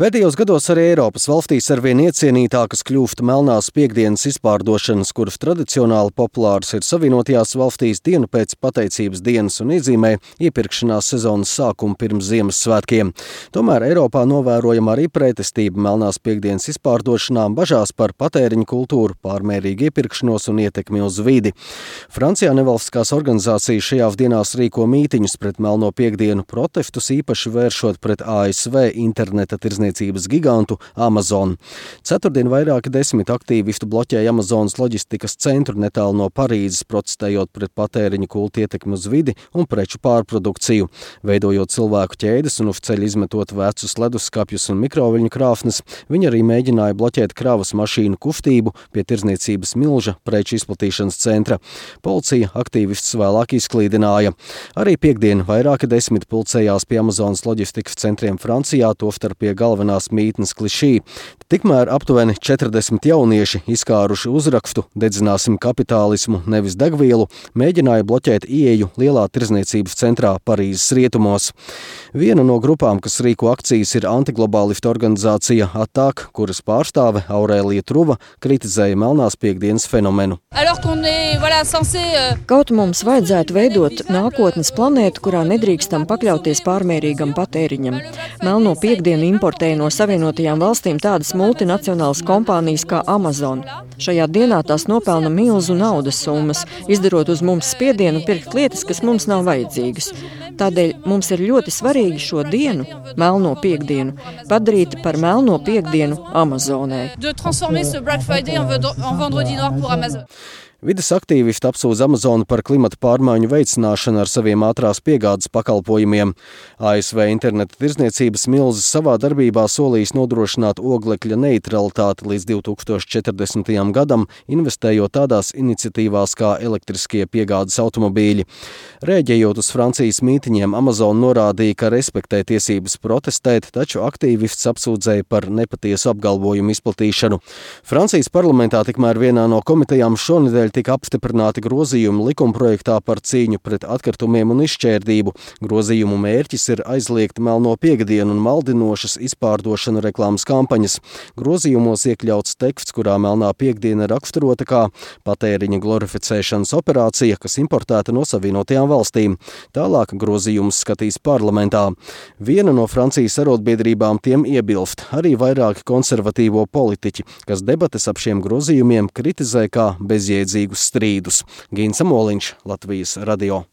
Pēdējos gados arī Eiropas valstīs arvien iecienītākas kļūst melnās piektdienas izpārdošanas, kuras tradicionāli populāras ir Savienotajās valstīs dienu pēc pateicības dienas un iezīmē iepirkšanās sezonas sākumu pirms Ziemassvētkiem. Tomēr Eiropā novērojama arī pretestība melnās piektdienas izpārdošanām, bažās par patēriņa kultūru, pārmērīgu iepirkšanos un ietekmi uz vidi. Francijā nevalstiskās organizācijas šajās dienās rīko mītiņus pret melno piektdienu, protestus īpaši vēršot pret ASV interneta tirdzniecības gigantu Amazon. Ceturtdien vairāki 10 aktīvistu bloķēja Amazonas loģistikas centru netālu no Parīzes, protestējot pret patēriņa kultu ietekmi uz vidi un preču pārprodukciju. Veidojot cilvēku ķēdes un uz ceļa izmetot vecus leduskapjus un mikroviļņu krāsnes, viņi arī mēģināja bloķēt kravas mašīnu kustību pie tirdzniecības milža preču izplatīšanas centra. Policija aktīvistus vēlāk izklīdināja. Arī piektdien vairāki 10 pulcējās pie Amazonas loģistikas centriem Francijā, tostarp pie galvenās mītnes Klišī. Tikmēr aptuveni 40 jaunieši, izkāruši uzrakstu "Dedzināsim kapitālismu, nevis degvielu", mēģināja bloķēt ieeju lielā tirdzniecības centrā Parīzes rietumos. Viena no grupām, kas rīko akcijas, ir antiglobālistu organizācija ATTAC, kuras pārstāve Aurēlija Truva kritizēja melnās piektdienas fenomenu. Kaut mums vajadzētu veidot nākotnes planētu, kurā nedrīkstam pakļauties pārmērīgam patēriņam. Melno piektdienu importēja no Savienotajām valstīm tādas multinacionālas kompānijas kā Amazon. Šajā dienā tās nopelna milzu naudas summas, izdarot uz mums spiedienu pirkt lietas, kas mums nav vajadzīgas. Tādēļ mums ir ļoti svarīgi šo dienu, melno piektdienu, padarīt par melno piektdienu Amazonē. Vides aktīvisti apsūdz Amazonu par klimata pārmaiņu veicināšanu ar saviem ātrās piegādes pakalpojumiem. ASV interneta tirdzniecības milzis savā darbībā solījis nodrošināt oglekļa neutralitāti līdz 2040. gadam, investējot tādās iniciatīvās kā elektriskie piegādes automobīļi. Rēģējot uz Francijas mītiņiem, Amazon norādīja, ka respektē tiesības protestēt, taču aktīvists apsūdzēja par nepatiesu apgalvojumu izplatīšanu. Francijas parlamentā tikmēr vienā no komitejām šonedēļ tika apstiprināti grozījumi likumprojektā par cīņu pret atkritumiem un izšķērdību. Grozījumu mērķis ir aizliegt melno piektdienu un maldinošas izpārdošanu reklāmas kampaņas. Grozījumos iekļauts teksts, kurā melnā piektdiena raksturota kā patēriņa glorificēšanas operācija, kas importēta no Savienotajām valstīm. Tālāk grozījumus skatīs parlamentā. Viena no Francijas arotbiedrībām tiem iebilst, arī vairāki konservatīvo politiķi, kas debates ap šiem grozījumiem kritizē kā bezjēdzīgus strīdus. Gīns Amoliņš, Latvijas radio.